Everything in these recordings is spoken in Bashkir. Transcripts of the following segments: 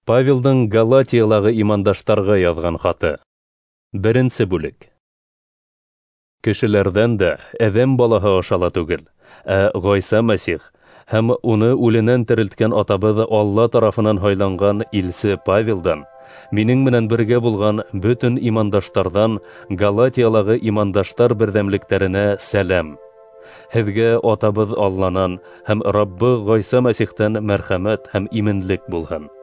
Павелдың Галатиялағы имандаштарға яҙған хаты. 1 бүлек. Кешеләрҙән дә әҙәм балаһы аша ла түгел, ә Ғайса Мәсих һәм уны үленән терелткән атабыҙ Алла тарафынан һайланған илсе Павелдан, минең менән бергә булған бөтөн имандаштарҙан Галатиялағы имандаштар берҙәмлектәренә сәләм. Һеҙгә атабыҙ Алланан һәм Раббы Ғайса Мәсихтән мәрхәмәт һәм именлек булһын.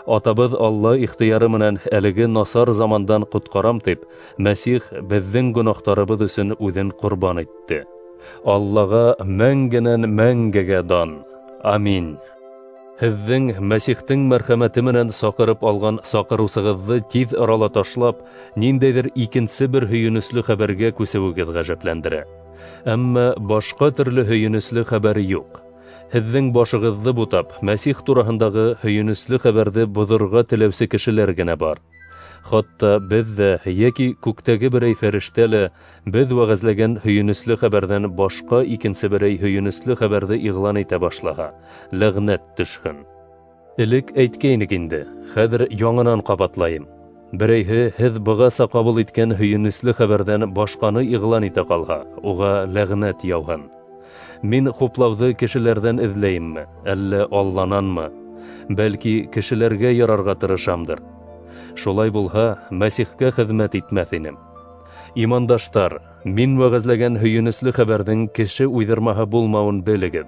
Атабыҙ Алла ихтыяры менән әлеге насар замандан ҡотҡарам тип, Мәсих беҙҙең гонаһтарыбыҙ өсөн үҙен ҡорбан итте. Аллаға мәңгенән мәңгегә дан. Амин. Һеҙҙең Мәсихтең мәрхәмәте менән саҡырып алған саҡырыусығыҙҙы тиҙ арала ташлап, ниндәйҙер икенсе бер һөйөнөслө хәбәргә күсеүегеҙ ғәжәпләндерә. Әммә башҡа төрлө һөйөнөслө хәбәр юҡ. Һеҙҙең башығыҙҙы бутап, Мәсих тураһындағы һөйөнөслө хәбәрҙе боҙорға теләүсе кешеләр генә бар. Хатта беҙ ҙә йәки күктәге берәй фәрештә лә беҙ вәғәзләгән һөйөнөслө хәбәрҙән башҡа икенсе берәй һөйөнөслө хәбәрҙе иғлан итә башлаһа, ләғнәт төшһөн. Элек әйткәйнек инде, хәҙер яңынан ҡабатлайым. Берәйһе һеҙ бығаса ҡабул иткән һөйөнөслө хәбәрҙән башҡаны иғлан итә ҡалһа, уға ләғнәт яуһын. Мин хуплауҙы кешеләрҙән эҙләйемме, әллә Аллананмы? Бәлки кешеләргә ярарға тырышамдыр. Шулай булһа, Мәсихкә хеҙмәт итмәҫ инем. Имандаштар, мин вәғәзләгән һөйөнөслө хәбәрҙең кеше уйҙырмаһы булмауын белегеҙ.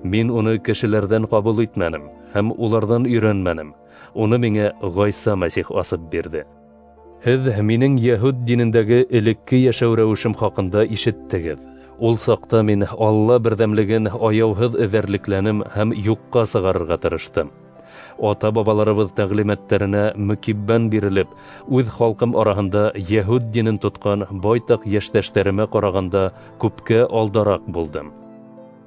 Мин уны кешеләрҙән ҡабул итмәнем һәм уларҙан өйрәнмәнем. Уны миңә Ғайса Мәсих асып бирҙе. Һеҙ минең йәһүд динендәге элекке йәшәү рәүешем хаҡында ишеттегеҙ. Ул саҡта мин Алла берҙәмлеген аяуһыҙ эҙәрлекләнем һәм юҡҡа сығарырға тырыштым. Ата-бабаларыбыҙ тәғлимәттәренә мөкиббән бирелеп, үҙ халҡым араһында йәһүд динен тотҡан байтаҡ йәштәштәремә ҡарағанда күпкә алдараҡ булдым.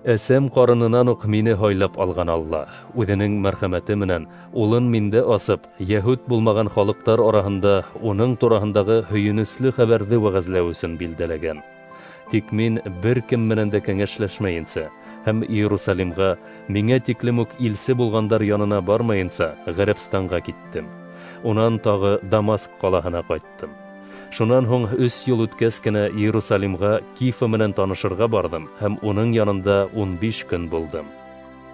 Әсәм ҡарынынан уҡ мине һайлап алған Алла, үҙенең мәрхәмәте менән улын миндә асып, йәһүд булмаған халыҡтар араһында уның тураһындағы һөйөнөслө хәбәрҙе вәғәзләү өсөн билдәләгән. Тик мин бер кем менән дә кәңәшләшмәйенсә һәм Иерусалимға миңә тиклем үк илсе булғандар янына бармайынса Ғәрәбстанға киттем. Унан тағы Дамаск ҡалаһына ҡайттым. Шунан һуң 3 йыл үткәс кенә Иерусалимға Кифа менән танышырға барҙым һәм уның янында 15 көн булдым.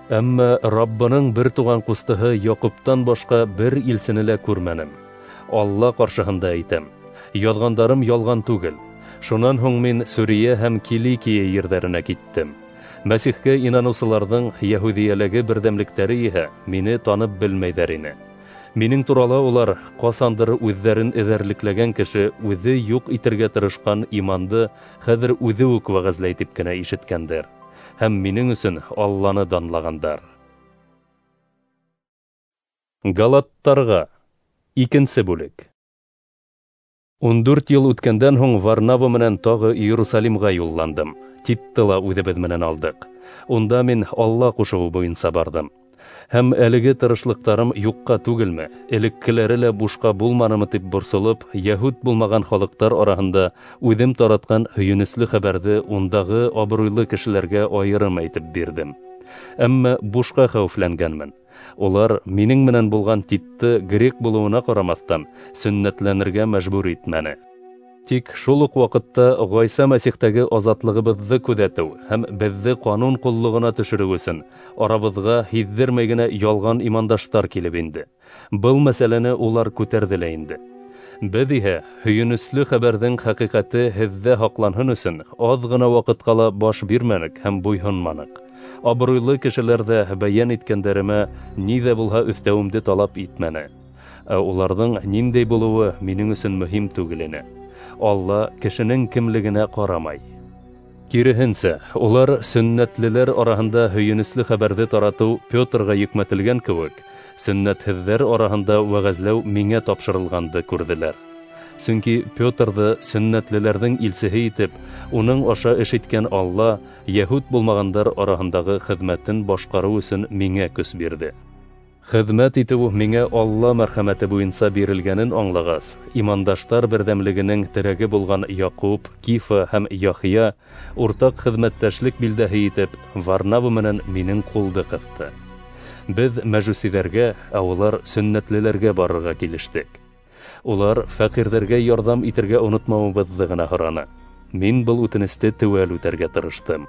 Әммә Раббының бер туған ҡустыһы Яҡуптан башҡа бер илсене лә күрмәнем. Алла ҡаршыһында әйтәм, яҙғандарым ялған түгел. Шунан һуң мин Сүриә һәм Киликия ерҙәренә киттем. Мәсихкә инаныусыларҙың йәһүҙиәләге берҙәмлектәре иһә мине танып белмәйҙәр ине. Минең турала улар ҡасандыр үҙҙәрен эҙәрлекләгән кеше үҙе юҡ итергә тырышҡан иманды хәҙер үҙе үк вәғәзләй тип кенә ишеткәндәр һәм минең өсөн Алланы данлағандар. Галаттарға 2 бүлек. 14 йыл үткәндән һуң Варнава менән тағы Иерусалимға юлландым. Титты ла үҙебеҙ менән алдыҡ. Унда мин Алла ҡушыуы буйынса барҙым. Һәм әлеге тырышлыҡтарым юҡҡа түгелме, элеккеләре лә бушҡа булманымы тип борсолоп, йәһүд булмаған халыҡтар араһында үҙем таратҡан һөйөнөслө хәбәрҙе ундағы абруйлы кешеләргә айырым әйтеп бирҙем. Әммә бушҡа хәүефләнгәнмен. Улар минең менән булған Титты грек булыуына ҡарамаҫтан сөннәтләнергә мәжбүр итмәне. Тик шул уҡ ваҡытта Ғайса Мәсихтәге азатлығыбыҙҙы күҙәтеү һәм беҙҙе ҡанун ҡоллоғона төшөрөү өсөн арабыҙға һиҙҙермәй генә ялған имандаштар килеп инде. Был мәсьәләне улар күтәрҙе лә инде. Беҙ иһә һөйөнөслө хәбәрҙең хәҡиҡәте һеҙҙә һаҡланһын өсөн аҙ ғына ваҡытҡа ла баш бирмәнек һәм буйһонманыҡ. Абруйлы кешеләр ҙә бәйән иткәндәремә ни ҙә булһа өҫтәүемде талап итмәне. Ә уларҙың ниндәй булыуы минең өсөн мөһим түгел ине. Алла кешенең кемлегенә ҡарамай. Киреһенсә, улар сөннәтлеләр араһында һөйөнөслө хәбәрҙе таратыу Петрға йөкмәтелгән кеүек, сөннәтһеҙҙәр араһында вәғәзләү миңә тапшырылғанды күрҙеләр. Сөнки Петрҙы сөннәтлеләрҙең илсеһе итеп, уның аша эш иткән Алла йәһүд булмағандар араһындағы хеҙмәтен башҡарыу өсөн миңә көс бирҙе. Хеҙмәт итеү миңә Алла мәрхәмәте буйынса бирелгәнен аңлағас, имандаштар берҙәмлегенең терәге булған Яҡуп, Кифа һәм Яхия уртаҡ хеҙмәттәшлек билдәһе итеп Варнава менән минең ҡулды ҡыҫты. Беҙ мәжүсиҙәргә, ә улар сөннәтлеләргә барырға килештек. Улар фәҡирҙәргә ярҙам итергә онотмауыбыҙҙы ғына һораны. Мин был үтенесте теүәл үтәргә тырыштым.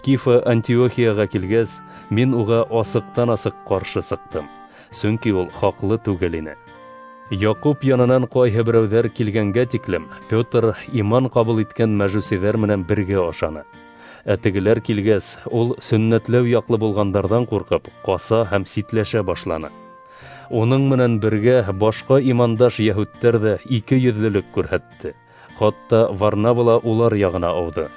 Кифа Антиохияға килгәс, мин уға асыҡтан-асыҡ ҡаршы сыҡтым, сөнки ул хаҡлы түгел ине. Яҡуп янынан ҡайһы берәүҙәр килгәнгә тиклем Петр иман ҡабул иткән мәжүсиҙәр менән бергә ашаны. Ә тегеләр килгәс, ул сөннәтләү яҡлы булғандарҙан ҡурҡып, ҡаса һәм ситләшә башланы. Уның менән бергә башҡа имандаш йәһүдтәр ҙә ике йөҙлөлөк күрһәтте. Хатта Варнава ла улар яғына ауҙы.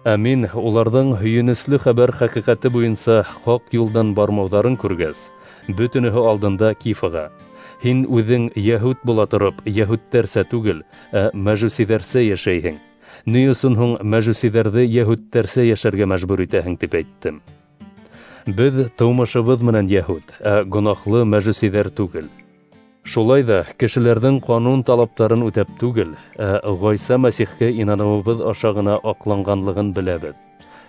Ә мин уларҙың һөйөнөслө хәбәр хәҡиҡәте буйынса хаҡ юлдан бармауҙарын күргәс, бөтөнөһө алдында Кифаға: "Һин үҙең йәһүд була тороп, йәһүдтәрсә түгел, ә мәжүсиҙәрсә йәшәйһең. Ни өсөн һуң мәжүсиҙәрҙе йәһүдтәрсә йәшәргә мәжбүр итәһең?" тип әйттем. Беҙ тыумышыбыҙ менән йәһүд, ә гонаһлы мәжүсиҙәр түгел. Шулай ҙа кешеләрҙең ҡанун талаптарын үтәп түгел, ә Ғайса Мәсихкә инаныуыбыҙ аша ғына аҡланғанлығын беләбеҙ.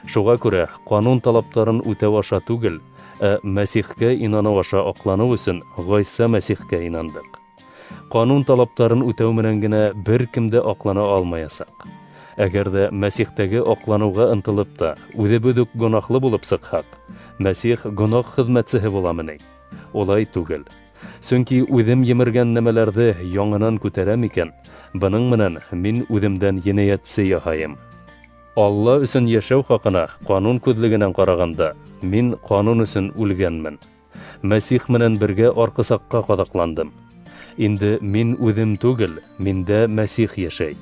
Шуға күрә ҡанун талаптарын үтәү аша түгел, ә Мәсихкә инаныу аша аҡланыу өсөн Ғайса Мәсихкә инандыҡ. Ҡанун талаптарын үтәү менән генә бер кем дә аҡлана алмаясаҡ. Әгәр ҙә Мәсихтәге аҡланыуға ынтылып та үҙебеҙ үк гонаһлы булып сыҡһаҡ, Мәсих гонаһ хеҙмәтсеһе буламы ни? Улай түгел. Сөнки үҙем емергән нәмәләрҙе яңынан күтәрәм икән, бының менән мин үҙемдән енәйәтсе яһайым. Алла өсөн йәшәү хаҡына ҡанун күҙлегенән ҡарағанда, мин ҡанун өсөн үлгәнмен. Мәсих менән бергә арҡысаҡҡа ҡаҙаҡландым. Инде мин үҙем түгел, миндә Мәсих йәшәй.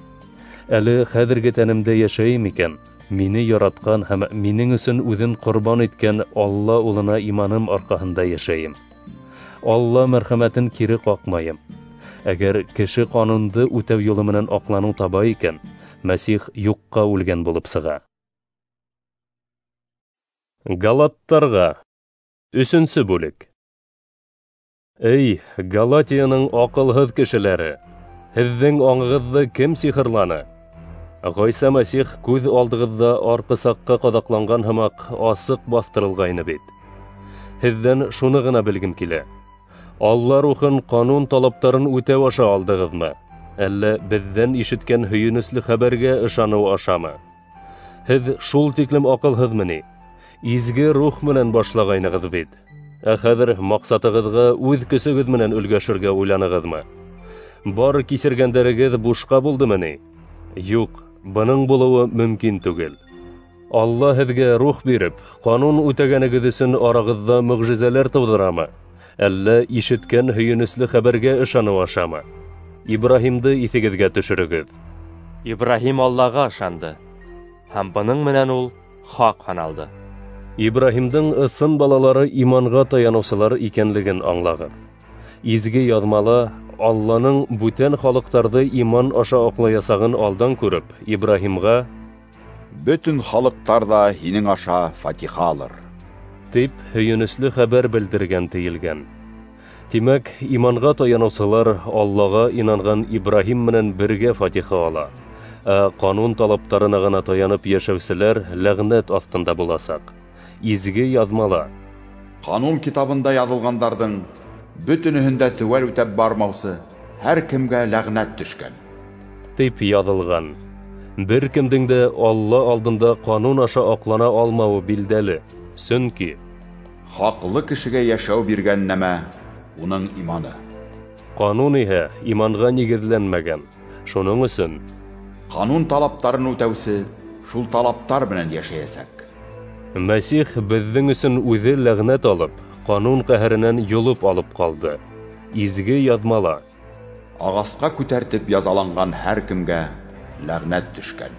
Әле хәҙерге тәнемдә йәшәйем икән, мине яратҡан һәм минең өсөн үҙен ҡорбан иткән Алла улына иманым арҡаһында йәшәйем. Алла мәрхәмәтен кире ҡаҡмайым. Әгәр кеше ҡанунды үтәү юлы менән аҡланыу таба икән, Мәсих юҡҡа үлгән булып сыға. Галаттарға. 3-нсе бүлек. Эй, Галатияның аҡылһыҙ кешеләре, һеҙҙең аңығыҙҙы кем сихырланы? Ғайса Мәсих күҙ алдығыҙҙа арҡысаҡҡа ҡаҙаҡланған һымаҡ асыҡ баҫтырылғайны бит. Һеҙҙән шуны ғына белгем килә. Алла рухын ҡанун талаптарын үтәү аша алдығыҙмы? Әллә беҙҙән ишеткән һөйөнөслө хәбәргә ышаныу ашамы? Һеҙ шул тиклем аҡылһыҙмы ни? Изге рух менән башлағайнығыҙ бит. Ә хәҙер маҡсатығыҙға үҙ көсөгөҙ менән өлгәшергә уйланығыҙмы? Бар кисергәндәрегеҙ бушҡа булдымы ни? Юҡ, бының булыуы мөмкин түгел. Алла һеҙгә рух биреп, ҡанун үтәгәнегеҙ өсөн арағыҙҙа мөғжизәләр тыуҙырамы? Әллә ишеткән һөйөнөслө хәбәргә ышаныу ашамы? Ибраһимды иҫегеҙгә төшөрөгөҙ. Ибраһим Аллаға ышанды, һәм бының менән ул хаҡ һаналды. Ибраһимдың ысын балалары иманға таяныусылар икәнлеген аңлағыҙ. Изге яҙмала Алланың бүтән халыҡтарҙы иман аша аҡлаясағын алдан күреп, Ибраһимға: "Бөтөн халыҡтар ҙа һинең аша фатиха алыр" тип һөйөнөслө хәбәр белдергән тейелгән. Тимәк, иманға таяныусылар Аллаға инанған Ибраһим менән бергә фатиха ала. Ә ҡанун талаптарына ғына таянып йәшәүселәр ләғнәт аҫтында буласаҡ. Изге яҙмала: "Ҡанун китабында яҙылғандарҙың бөтөнөһөн дә теүәл үтәп бармаусы һәр кемгә ләғнәт төшкән" тип яҙылған. Бер кемдең дә Алла алдында ҡанун аша аҡлана алмауы билдәле. Сөнки хаҡлы кешегә йәшәү биргән нәмә уның иманы. Ҡанун иһә иманға нигеҙләнмәгән. Шуның өсөн ҡанун талаптарын үтәүсе шул талаптар менән йәшәйәсәк. Мәсих беҙҙең өсөн үҙе ләғнәт алып, ҡанун ҡәһәренән йолоп алып ҡалды. Изге яҙмала: "Ағасҡа күтәртеп язаланған һәр кемгә ләғнәт төшкән"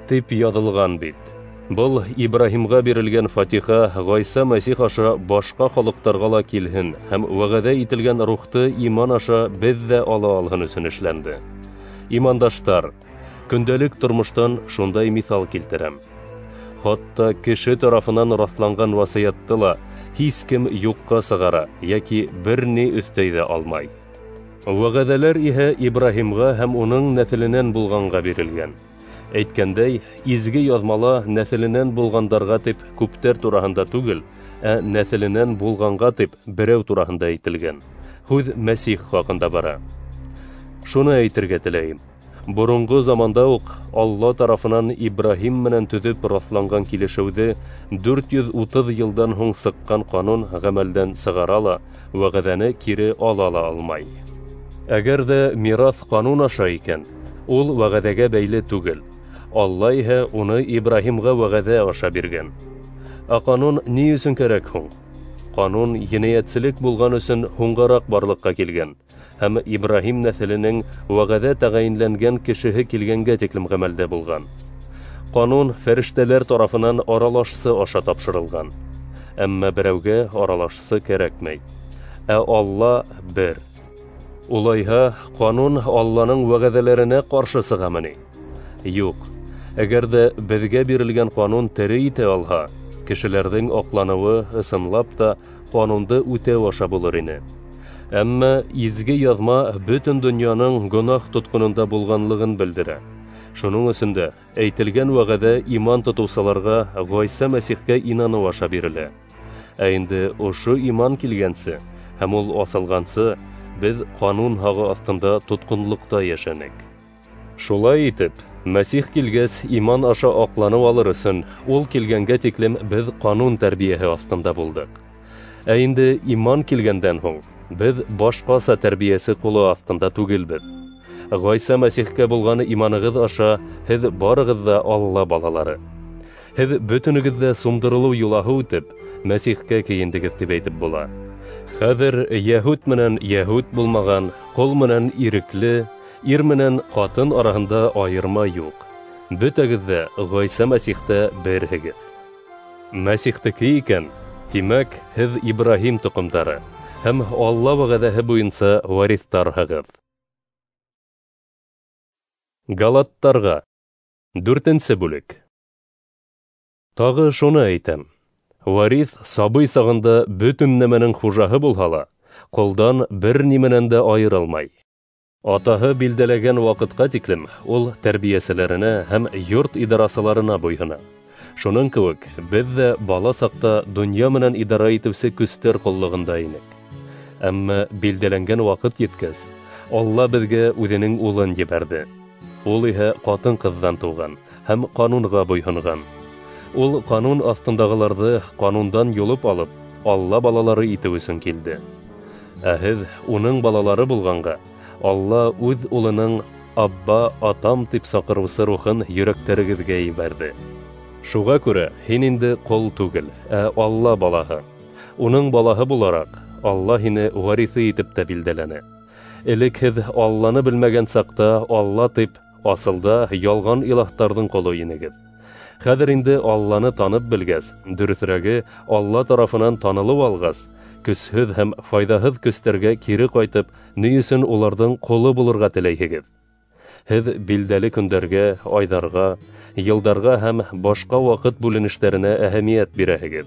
тип яҙылған бит. Был Ибраһимға бирелгән фатиха Ғайса Мәсих аша башҡа халыҡтарға ла килһен һәм вәғәҙә ителгән рухты иман аша беҙ ҙә ала алһын өсөн эшләнде. Имандаштар, көндәлек тормоштан шундай миҫал килтерәм. Хатта кеше тарафынан раҫланған васыятты ла һис кем юҡҡа сығара йәки бер ни өҫтәй ҙә алмай. Вәғәҙәләр иһә Ибраһимға һәм уның нәҫеленән булғанға бирелгән. Әйткәндәй, изге яҙмала нәҫеленән булғандарға тип күптәр тураһында түгел, ә нәҫеленән булғанға тип берәү тураһында әйтелгән. Һүҙ Мәсих хаҡында бара. Шуны әйтергә теләйем. Боронғо заманда уҡ Алла тарафынан Ибраһим менән төҙөп раҫланған килешеүҙе 430 йылдан һуң сыҡҡан ҡанун ғәмәлдән сығара ла, вәғәҙәне кире ала ла алмай. Әгәр ҙә мираҫ ҡанун аша икән, ул вәғәҙәгә бәйле түгел. Алла иһә уны Ибраһимға вәғәҙә аша биргән. Ә ҡанун ни өсөн кәрәк һуң? Ҡанун енәйәтселек булған өсөн һуңғараҡ барлыҡҡа килгән һәм Ибраһим нәҫеленең вәғәҙә тәғәйенләнгән кешеһе килгәнгә тиклем ғәмәлдә булған. Ҡанун фәрештәләр тарафынан аралашсы аша тапшырылған. Әммә берәүгә аралашсы кәрәкмәй. Ә Алла бер. Улайһа, ҡанун Алланың вәғәҙәләренә ҡаршы сығамы ни? Юҡ. Әгәр ҙә беҙгә бирелгән ҡанун тере итә алһа, кешеләрҙең аҡланыуы ысынлап та ҡанунды үтәү аша булыр ине. Әммә изге яҙма бөтөн донъяның гонаһ тотҡононда булғанлығын белдерә. Шуның өсөн дә әйтелгән вәғәҙә иман тотоусыларға Ғайса Мәсихкә инаныу аша бирелә. Ә инде ошо иман килгәнсе һәм ул асылғансы, беҙ ҡанун һағы аҫтында тотҡонлоҡта йәшәнек. Шулай итеп, Мәсих килгәс, иман аша аҡланыу алыр өсөн, ул килгәнгә тиклем беҙ ҡанун тәрбиәһе аҫтында булдыҡ. Ә инде иман килгәндән һуң, беҙ башҡаса тәрбиәсе ҡулы аҫтында түгелбеҙ. Ғайса Мәсихкә булған иманығыҙ аша һеҙ барығыҙ ҙа Алла балалары. Һеҙ бөтөнөгөҙ ҙә сумдырылыу йолаһы үтеп, Мәсихкә кейендегеҙ тип әйтеп була. Хәҙер йәһүд менән йәһүд булмаған, ҡол менән ирекле, ир менән ҡатын араһында айырма юҡ. Бөтәгеҙ ҙә Ғайса Мәсихтә берһегеҙ. Мәсихтеке икән, тимәк, һеҙ Ибраһим тоҡомдары һәм Алла вәғәҙәһе буйынса вариҫтарһығыҙ. Галаттарға 4-нсе бүлек. Тағы шуны әйтәм. Вариҫ сабый сағында бөтөн нәмәнең хужаһы булһа ла, ҡолдан бер нимәнән дә айырылмай. Атаһы билдәләгән ваҡытҡа тиклем ул тәрбиәселәренә һәм йорт идарасыларына буйһона. Шуның кеүек беҙ ҙә бала саҡта донъя менән идара итеүсе көстәр ҡоллоғонда инек. Әммә билдәләнгән ваҡыт еткәс, Алла беҙгә үҙенең улын ебәрҙе. Ул иһә ҡатын-ҡыҙҙан тыуған һәм ҡанунға буйһонған. Ул ҡанун аҫтындағыларҙы ҡанундан юлып алып, Алла балалары итеү өсөн килде. Ә һеҙ уның балалары булғанға, Алла үҙ улының Абба, атам тип саҡырыусы рухын йөрәктәрегеҙгә ебәрҙе. Шуға күрә һин инде ҡол түгел, ә Алла балаһы. Уның балаһы булараҡ, Алла һине вариҫы итеп тә билдәләне. Элек һеҙ Алланы белмәгән саҡта Алла тип асылда ялған илаһтарҙың ҡоло инегеҙ. Хәҙер инде Алланы танып белгәс, дөрөҫөрәге, Алла тарафынан танылып алғас, көсһөҙ һәм файҙаһыҙ көстәргә кире ҡайтып, ни өсөн уларҙың ҡоло булырға теләйһегеҙ? Һеҙ билдәле көндәргә, айҙарға, йылдарға һәм башҡа ваҡыт бүленештәренә әһәмиәт бирәһегеҙ.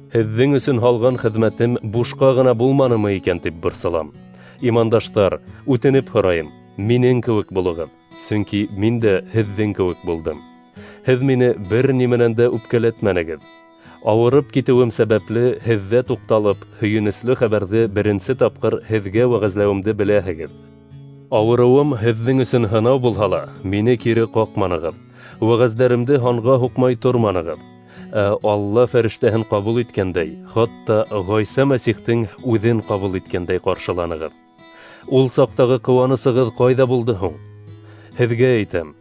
Һеҙҙең өсөн һалған хеҙмәтем бушҡа ғына булманымы икән тип борсолам. Имандаштар, үтенеп һорайым, минең кеүек булығыҙ, сөнки мин дә һеҙҙең кеүек булдым. Һеҙ мине бер нимәнән дә үпкәләтмәнегеҙ. Ауырып китеүем сәбәпле һеҙҙә туҡталып, һөйөнөслө хәбәрҙе беренсе тапҡыр һеҙгә вәғәзләүемде беләһегеҙ. Ауырыуым һеҙҙең өсөн һынау булһа ла, мине кире ҡаҡманығыҙ. Вәғәздәремде һанға һуҡмай торманығыҙ. Ә Алла фәрештәһен ҡабул иткәндәй, хатта Ғайса Мәсихтең үҙен ҡабул иткәндәй ҡаршыланығыҙ. Ул саҡтағы ҡыуанысығыҙ ҡайҙа булды һуң? Һеҙгә әйтәм,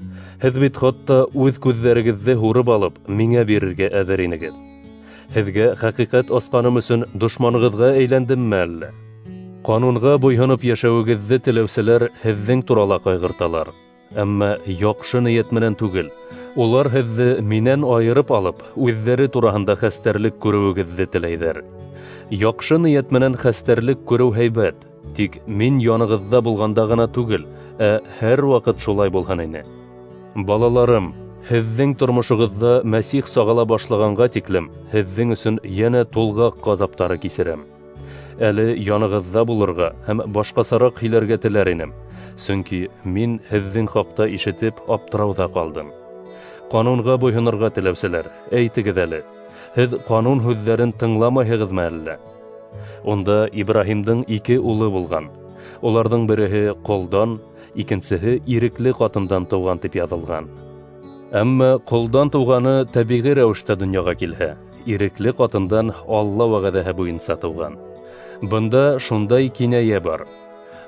һеҙ бит хатта үҙ күҙҙәрегеҙҙе һурып алып, миңә бирергә әҙер инегеҙ. Һеҙгә хәҡиҡәт асҡаным өсөн дошманығыҙға әйләндемме әллә? Ҡанунға буйһоноп йәшәүегеҙҙе теләүселәр һеҙҙең турала ҡайғырталар. Әммә яҡшы ниәт менән түгел. Улар һеҙҙе минән айырып алып, үҙҙәре тураһында хәстәрлек күреүегеҙҙе теләйҙәр. Яҡшы ниәт менән хәстәрлек күреү һәйбәт, тик мин янығыҙҙа булғанда ғына түгел, ә һәр ваҡыт шулай булһын ине. Балаларым, һеҙҙең тормошоғоҙҙа Мәсих сағыла башлағанға тиклем һеҙҙең өсөн йәнә тулғаҡ ғазаптары кисерәм. Әле янығыҙҙа булырға һәм башҡасараҡ һөйләргә теләр инем, сөнки мин һеҙҙең хаҡта ишетеп аптырауҙа ҡалдым. Ҡанунға буйһонорға теләүселәр, әйтегеҙ әле, Һеҙ ҡанун һүҙҙәрен тыңламайһығыҙмы әллә? Унда Ибраһимдың ике улы булған. Уларҙың береһе ҡолдан, икенсеһе ирекле ҡатындан тыуған тип яҙылған. Әммә ҡолдан тыуғаны тәбиғи рәүештә донъяға килһә, ирекле ҡатындан Алла вәғәҙәһе буйынса тыуған. Бында шундай кинәйә бар.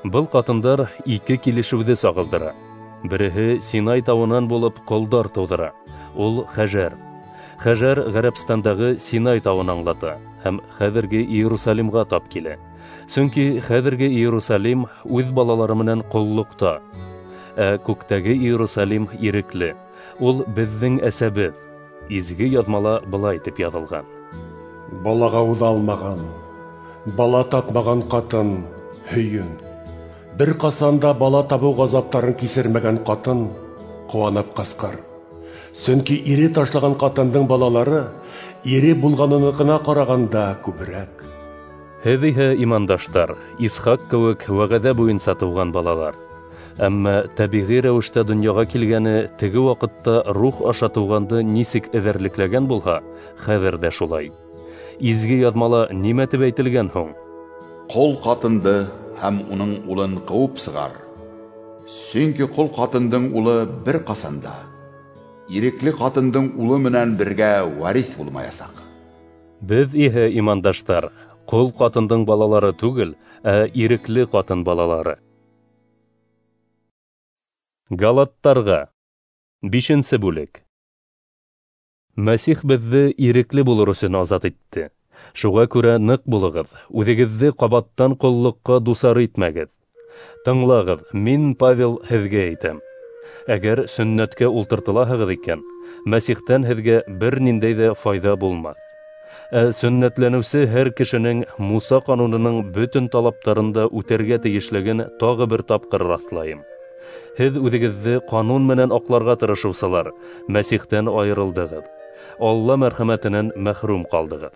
Был ҡатындар ике килешеүҙе сағылдыра. Береһе Синай тауынан булып ҡолдар тыуҙыра. Ул Хәжәр. Хәжәр Ғәрәбстандағы Синай тауын аңлата һәм хәҙерге Иерусалимға тап килә. Сөнки хәҙерге Иерусалим үҙ балалары менән ҡоллоҡта, ә күктәге Иерусалим ирекле. Ул беҙҙең әсәбеҙ. Изге яҙмала былай тип яҙылған: Балаға уҙалмаған, бала тапмаған ҡатын һөйөн. Бер ҡасан да бала табыу ғазаптарын кисермәгән ҡатын ҡыуанып ҡысҡыр. Сөнки ире ташлаған ҡатындың балалары ире булғаныныҡына ҡарағанда күберәк. Һеҙ иһә, имандаштар, Исхаҡ кеүек вәғәҙә буйынса тыуған балалар. Әммә тәбиғи рәүештә донъяға килгәне теге ваҡытта рух аша тыуғанды нисек эҙәрлекләгән булһа, хәҙер ҙә шулай. Изге яҙмала нимә тип әйтелгән һуң? Ҡол ҡатынды һәм уның улын ҡыуып сығар. Сөнки ҡол ҡатындың улы бер ҡасан да ирекле ҡатындың улы менән бергә вариҫ булмаясаҡ. Беҙ иһә, имандаштар, ҡол ҡатындың балалары түгел, ә ирекле ҡатын балалары. Галаттарға. 5-нсе бүлек. Мәсих беҙҙе ирекле булыр өсөн азат итте. Шуға күрә ныҡ булығыҙ, үҙегеҙҙе ҡабаттан ҡоллоҡҡа дусар итмәгеҙ. Тыңлағыҙ, мин, Павел, һеҙгә әйтәм. Әгәр сөннәткә ултыртылаһығыҙ икән, Мәсихтән һеҙгә бер ниндәй ҙә файҙа булмаҫ. Ә сөннәтләнеүсе һәр кешенең Муса ҡанунының бөтөн талаптарын да үтәргә тейешлеген тағы бер тапҡыр раҫлайым. Һеҙ үҙегеҙҙе ҡанун менән аҡларға тырышыусылар, Мәсихтән айырылдығыҙ. Алла мәрхәмәтенән мәхрүм ҡалдығыҙ.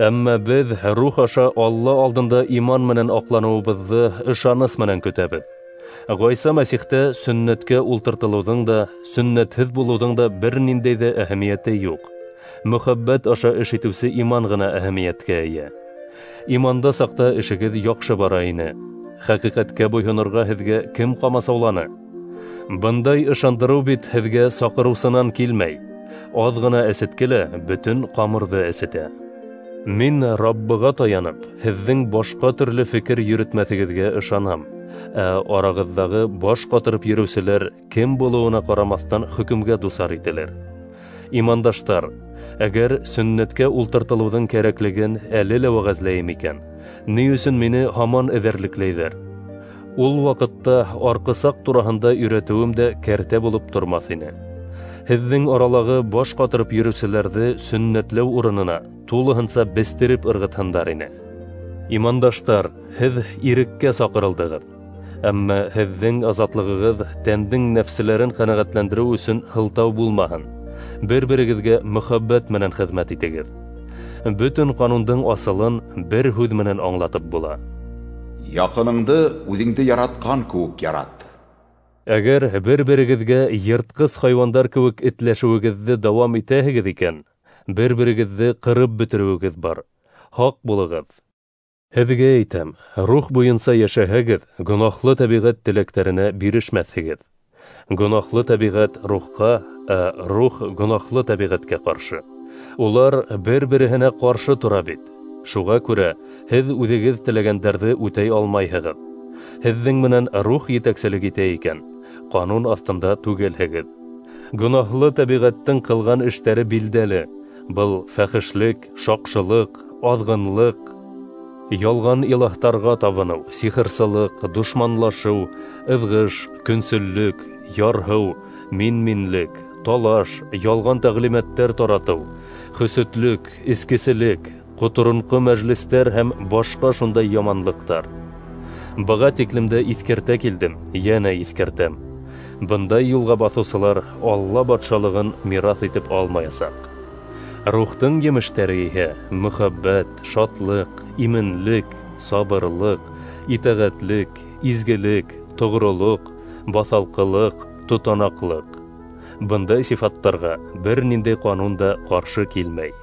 Әммә беҙ рух аша Алла алдында иман менән аҡланыуыбыҙҙы ышаныс менән көтәбеҙ. Ғайса Мәсихтә сөннәткә ултыртылыуҙың да, сөннәтһеҙ булыуҙың да бер ниндәй ҙә әһәмиәте юҡ. Мөхәббәт аша эш итеүсе иман ғына әһәмиәткә эйә. Иманда саҡта эшегеҙ яҡшы бара ине. Хәҡиҡәткә буйһонорға һеҙгә кем ҡамасауланы? Бындай ышандырыу бит һеҙгә саҡырыусынан килмәй. Аҙ ғына әсетке лә бөтөн ҡамырҙы әсетә. Мин Раббыға таянып, һеҙҙең башҡа төрлө фекер йөрөтмәҫегеҙгә ышанам. Ә арағыҙҙағы баш ҡатырып йөрөүселәр кем булыуына ҡарамаҫтан хөкөмгә дусар ителер. Имандаштар, әгәр сөннәткә ултыртылыуҙың кәрәклеген әле лә вәғәзләйем икән, ни өсөн мине һаман эҙәрлекләйҙәр? Ул ваҡытта арҡысаҡ тураһында өйрәтеүем дә кәртә булып тормаҫ ине. Һеҙҙең аралағы баш ҡатырып йөрөүселәрҙе сөннәтләү урынына тулыһынса бестереп ырғытһындар ине. Имандаштар, һеҙ иреккә саҡырылдығыҙ. Әммә һеҙҙең азатлығығыҙ тәндең нәфселәрен ҡәнәғәтләндереү өсөн һылтау булмаһын. Бер-берегеҙгә мөхәббәт менән хеҙмәт итегеҙ. Бөтөн ҡанундың асылын бер һүҙ менән аңлатып була: Яҡыныңды үҙеңде яратҡан кеүек ярат. Әгәр бер-берегеҙгә йыртҡыс хайуандар кеүек этләшеүегеҙҙе дауам итәһегеҙ икән, бер-берегеҙҙе ҡырып бөтөрөүегеҙ бар. Һаҡ булығыҙ. Һеҙгә әйтәм, рух буйынса йәшәһәгеҙ, гонаһлы тәбиғәт теләктәренә бирешмәҫһегеҙ. Гонаһлы тәбиғәт рухҡа, ә рух гонаһлы тәбиғәткә ҡаршы. Улар бер-береһенә ҡаршы тора бит. Шуға күрә һеҙ үҙегеҙ теләгәндәрҙе үтәй алмайһығыҙ. Һеҙҙең менән рух етәкселек итә икән, ҡанун аҫтында түгелһегеҙ. Гонаһлы тәбиғәттең ҡылған эштәре билдәле. Был фәхешлек, шаҡшылыҡ, аҙғынлыҡ, ялған илаһтарға табыныу, сихырсылыҡ, дошманлашыу, ыҙғыш, көнсөллөк, ярһыу, мин-минлек, талаш, ялған тәғлимәттәр таратыу, хөсөтлөк, эскеселек, ҡоторонҡо мәжлестәр һәм башҡа шундай яманлыҡтар. Быға тиклем дә иҫкәртә килдем, йәнә иҫкәртәм. Бындай юлға баҫыусылар Алла батшалығын мираҫ итеп алмаясаҡ. Рухтың емештәре иһә мөхәббәт, шатлыҡ, именлек, сабырлыҡ, итәғәтлек, изгелек, тоғролоҡ, баҫалҡылыҡ, тотанаҡлыҡ. Бындай сифаттарға бер ниндәй ҡанун да ҡаршы килмәй.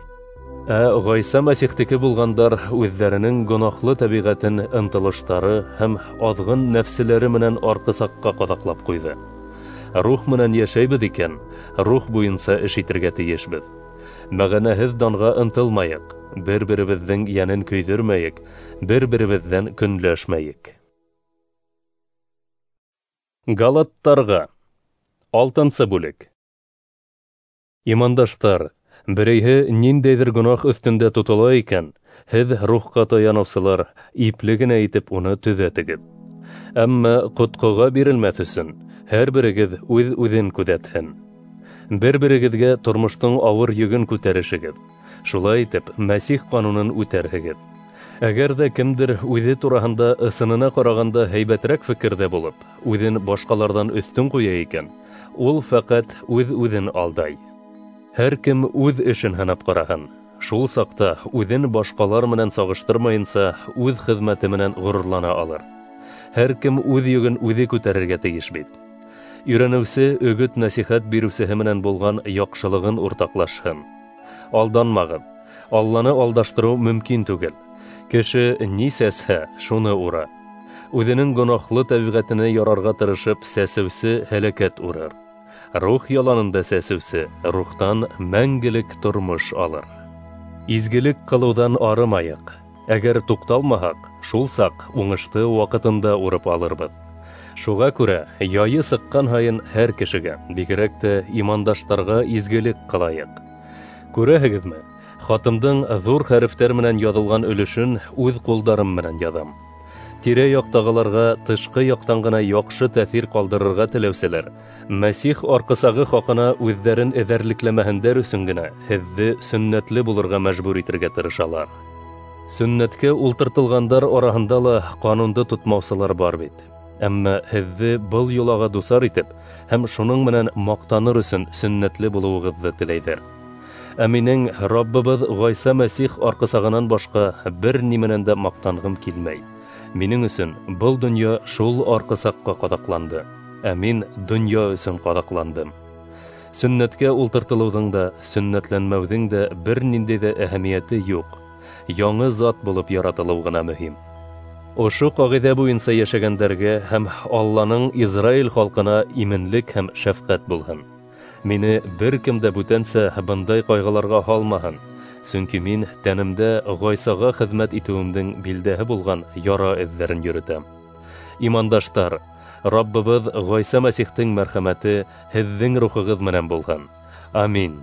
Ә Ғайса Мәсихтеке булғандар үҙҙәренең гонаһлы тәбиғәтен ынтылыштары һәм аҙғын нәфселәре менән арҡысаҡҡа ҡаҙаҡлап ҡуйҙы. Рух менән йәшәйбеҙ икән, рух буйынса эш итергә тейешбеҙ. Мәғәнәһеҙ данға ынтылмайыҡ, бер-беребеҙҙең йәнен көйҙөрмәйек, бер-беребеҙҙән көнләшмәйек. Галаттарға. 6-нсы бүлек. Имандаштар, берәйһе ниндәйҙер гонаһ өҫтөндә тотола икән, һеҙ рухҡа таяныусылар, ипле генә итеп уны төҙәтегеҙ. Әммә ҡотҡоға бирелмәҫ өсөн һәр берегеҙ үҙ-үҙен күҙәтһен. Бер-берегеҙгә тормоштоң ауыр йөгөн күтәрешегеҙ. Шулай итеп, Мәсих ҡанунын үтәрһегеҙ. Әгәр ҙә кемдер үҙе тураһында ысынына ҡарағанда һәйбәтерәк фекерҙә булып, үҙен башҡаларҙан өҫтөн ҡуя икән, ул фәҡәт үҙ-үҙен алдай. Һәр кем үҙ эшен һынап ҡараһын. Шул саҡта үҙен башҡалар менән сағыштырмайынса үҙ хеҙмәте менән ғорурлана алыр. Һәр кем үҙ йөгөн үҙе күтәрергә тейеш бит. Өйрәнеүсе өгөт-нәсихәт биреүсеһе менән булған яҡшылығын уртаҡлашһын. Алданмағыҙ. Алланы алдаштырыу мөмкин түгел. Кеше ни сәсһә, шуны ура. Үҙенең гонаһлы тәбиғәтенә ярарға тырышып сәсеүсе һәләкәт урыр. Рух яланында сәсеүсе рухтан мәңгелек тормош алыр. Изгелек ҡылыуҙан арымайыҡ. Әгәр туҡталмаһаҡ, шул саҡ уңышты ваҡытында урып алырбыҙ. Шуға күрә яйы сыҡҡан һайын һәр кешегә, бигерәк тә имандаштарға изгелек ҡылайыҡ. Күрәһегеҙме, хатымдың ҙур хәрефтәр менән яҙылған өлөшөн үҙ ҡулдарым менән яҙам. Тирә-яҡтағыларға тышҡы яҡтан ғына яҡшы тәьҫир ҡалдырырға теләүселәр, Мәсих арҡысағы хаҡына үҙҙәрен эҙәрлекләмәһендәр өсөн генә һеҙҙе сөннәтле булырға мәжбүр итергә тырышалар. Сөннәткә ултыртылғандар араһында ла ҡанунды тотмаусылар бар бит. Әммә һеҙҙе был йолаға дусар итеп һәм шуның менән маҡтаныр өсөн сөннәтле булыуығыҙҙы теләйҙәр. Ә минең Раббыбыҙ Ғайса Мәсих арҡысағынан башҡа бер ни менән дә маҡтанғым килмәй. Минең өсөн был донъя шул арҡысаҡҡа ҡаҙаҡланды, ә мин донъя өсөн ҡаҙаҡландым. Сөннәткә ултыртылыуҙың да, сөннәтләнмәүҙең дә бер ниндәй ҙә әһәмиәте юҡ. Яңы зат булып яратылыу ғына мөһим. Ошо ҡағиҙә буйынса йәшәгәндәргә һәм Алланың Израиль халҡына именлек һәм шәфҡәт булһын. Мине бер кем дә бүтәнсә бындай ҡайғыларға һалмаһын, сөнки мин тәнемдә Ғайсаға хеҙмәт итеүемдең билдәһе булған яра эҙҙәрен йөрөтәм. Имандаштар, Раббыбыҙ Ғайса Мәсихтең мәрхәмәте һеҙҙең рухығыҙ менән булһын. Амин.